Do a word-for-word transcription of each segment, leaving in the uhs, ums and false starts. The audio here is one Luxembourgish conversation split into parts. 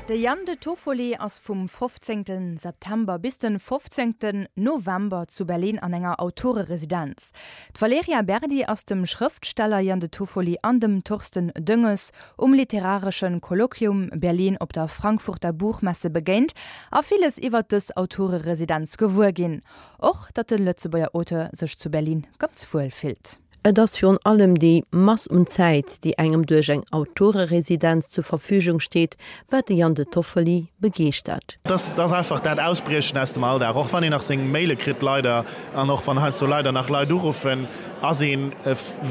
De Jan de Toffoli ass vum fofzéngte September bis de fofzéngten November zu Berlin an enger Autoreresidenz. D'Valerija Berdi ass dem Schrëftsteller Jan de Toffoli an dem Thorsten Dönges um Literarischen Kolloquium Berlin op der Frankfurter Buchmesse begéint a villes iwwer dës Autoreresidenz gewuer ginn. Och datt de Lëtzebuerger Auteur sech zu Berlin ganz wuel fillt. Et ass virun allem déi Mass un Zäit, déi engem duerch eng Autoreresidenz zur Verfügung steet, wat de Jan De Toffoli begeeschtert. Dat ass einfach dat Ausbriechen aus dem Alldag. Och wann een nach seng Maile kritt, leider, an och wann heiansdo leider nach Leit uruffen, ass ee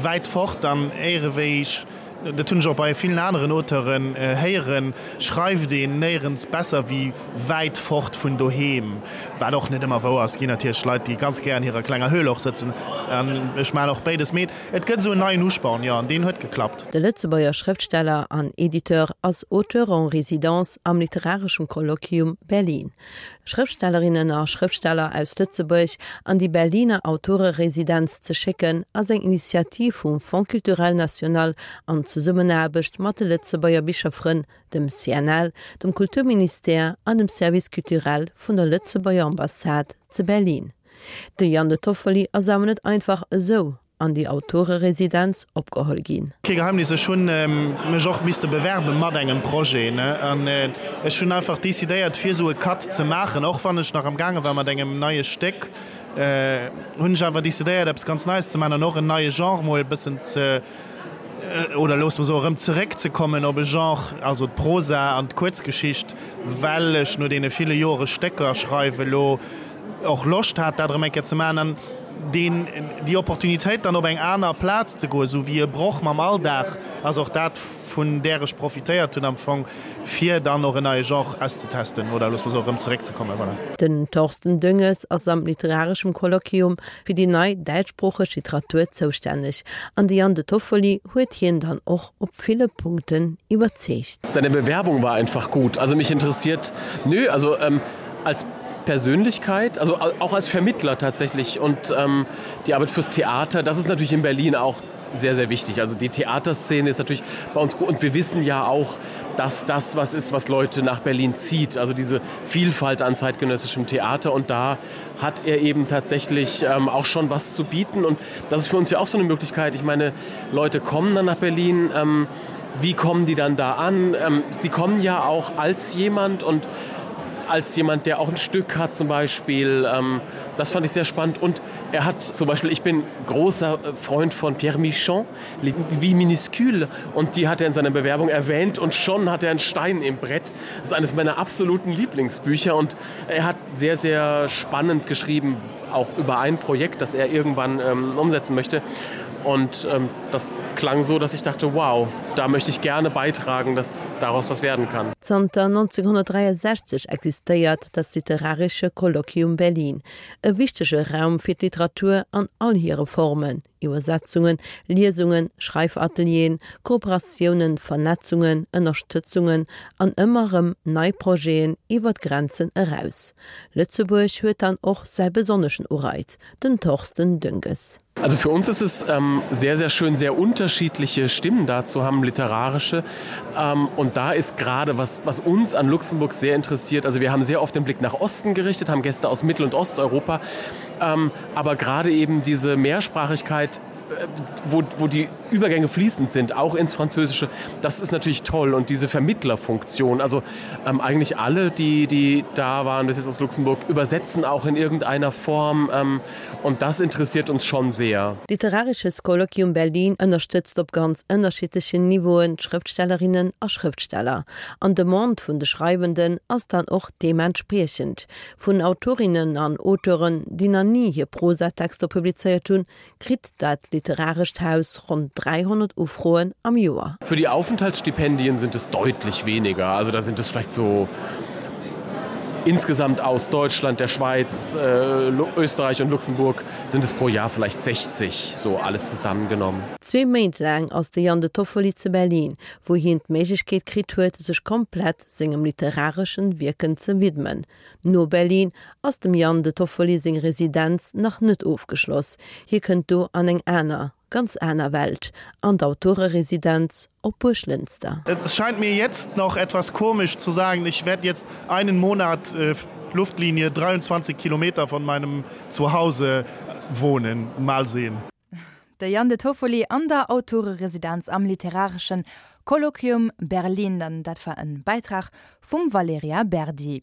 wäit fort an éierewéi ech, dat hunn ech och bei villen aneren Auteuren héieren, schreift een néierens besser wéi wäit fort vun doheem, wat och net ëmmer wouer ass. Et ginn natierlech Leit, déi ganz gär an hirer klenger Höhl och sëtzen, an ech maachen och béides, mee et gëtt esou en neien Usporn, jo, an deen huet geklappt. De Lëtzebuerger Schrëftsteller an Editeur ass Auteur en résidence am Literarischen Kolloquium Berlin. Schrëftstellerinnen a Schrëftsteller aus Lëtzebuerg an déi Berliner Autoreresidenz ze schécken, ass eng Initiativ vum Fonds culturel national an Zesummenaarbecht mat de Lëtzebuerger Bicherfrënn, dem C N L, dem Kulturministère an dem Service culturel vun der Lëtzebuerger Ambassade ze Berlin. De Jan De Toffoli ass awer net einfach esou an déi Autoreresidenz opgeholl ginn. Kee Geheimnis, ech hunn mech och misste bewerbe mat engem Projet, ne, an ech hunn einfach decidéiert fir esou e Cut ze maachen, och wann ech nach am gaange war mat engem neie Stéck, hunn ech awer decidéiert eppes ganz Neies ze maachen an och en neie Genre mol e bëssen ze, oder loosse mer soen, erëm zeréckzekommen op e Genre, also d'Prosa an d'Kuerzgeschicht, well ech no deene ville Jore Stécker schreiwe lo och Loscht hat, dat erëm eng Kéier ze maachen an deen, déi Opportunitéit dann op eng aner Plaz ze goen, esou wéi e Broch mam Alldag, ass och dat, vun där ech profitéiert hunn am Fong, fir dann och en neie Genre auszetesten oder loosse mer soen, erëm zeréckzekommen. Voilà. Den Thorsten Dönges ass am Literareschem Kolloquium fir déi nei däitschsproocheg Literatur zoustänneg an de Jan De Toffoli huet hien dann och op ville Punkten iwwerzeegt. Seine Bewerbung war einfach gut. Also mich interessiert nö, also ähm, als Persönlichkeit, also auch als Vermittler tatsächlich und ähm, die Arbeit fürs Theater, das ist natürlich in Berlin auch sehr, sehr wichtig. Also die Theaterszene ist natürlich bei uns gut und wir wissen ja auch, dass das was ist, was Leute nach Berlin zieht. Also diese Vielfalt an zeitgenössischem Theater und da hat er eben tatsächlich ähm, auch schon was zu bieten und das ist für uns ja auch so eine Möglichkeit. Ich meine, Leute kommen dann nach Berlin, ähm, wie kommen die dann da an? Ähm, sie kommen ja auch als jemand und als jemand, der auch ein Stück hat zum Beispiel. Ähm, das fand ich sehr spannend und er hat zum Beispiel, ich bin großer Freund von Pierre Michon, wie minuscule und die hat er in seiner Bewerbung erwähnt und schon hat er einen Stein im Brett. Das ist eines meiner absoluten Lieblingsbücher und er hat sehr, sehr spannend geschrieben, auch über ein Projekt, das er irgendwann ähm, umsetzen möchte. Und ähm, das klang so, dass ich dachte, wow, da möchte ich gerne beitragen, dass daraus was werden kann. Zanter neunzehnhundertdräiundsechzeg existéiert das Literarische Kolloquium Berlin, e wichtege Raum fir d'Literatur an all hire Formen, Iwwersetzungen, Liesungen, Schreifatelieren, Kooperatiounen, Vernetzungen, Ënnerstëtzungen an ëmmer erëm nei Projeten iwwer d'Grenzen eraus. Lëtzebuerg huet dann och säi besonneschen Ureiz, den Thorsten Dönges. Also für uns ist es ähm, sehr, sehr schön, sehr unterschiedliche Stimmen da zu haben, literarische. Ähm, und da ist gerade, was, was uns an Luxemburg sehr interessiert, also wir haben sehr oft den Blick nach Osten gerichtet, haben Gäste aus Mittel- und Osteuropa, ähm, aber gerade eben diese Mehrsprachigkeit, äh, wo, wo die Übergänge fließend sind, auch ins Französische, das ist natürlich toll und diese Vermittlerfunktion, also ähm, eigentlich alle, die, die da waren bis jetzt aus Luxemburg, übersetzen auch in irgendeiner Form ähm, und das interessiert uns schon sehr. Literarisches Kolloquium Berlin ënnerstëtzt op ganz ënnerschiddlechen Niveauen d'Schrëftstellerinnen a Schrëftsteller. An d'Demande vun de Schreiwenden ass dann och deementspriechend. Vun Autorinnen an Auteuren, déi nach ni hir Prosatexter publizéiert hunn, kritt dat literarescht Haus ronn dräihonnert Ufroen am Joer. Für die Aufenthaltsstipendien sind es deutlich weniger. Also da sind es vielleicht so insgesamt aus Deutschland, der Schweiz, äh, Österreich und Luxemburg sind es pro Jahr vielleicht sechzig, so alles zusammengenommen. Zwee Méint laang ass de Jan De Toffoli zu Berlin, wou hien d'Méiglechkeet kritt huet, sech komplett sengem literareschen Wierken ze widmen. No Berlin ass dem Jan De Toffoli seng Residenz nach net ofgeschloss, hie kënnt do an eng aner ganz aner Welt, an d'Autoreresidenz op Buerglënster. Es scheint mir jetzt noch etwas komisch zu sagen, ich werde jetzt einen Monat äh, Luftlinie dreiundzwanzig Kilometer von meinem Zuhause wohnen. Mal sehen. De Jan De Toffoli an der Autoreresidenz am literareschen Kolloquium Berlin, dann dat war en Beitrag vum Valerija Berdi.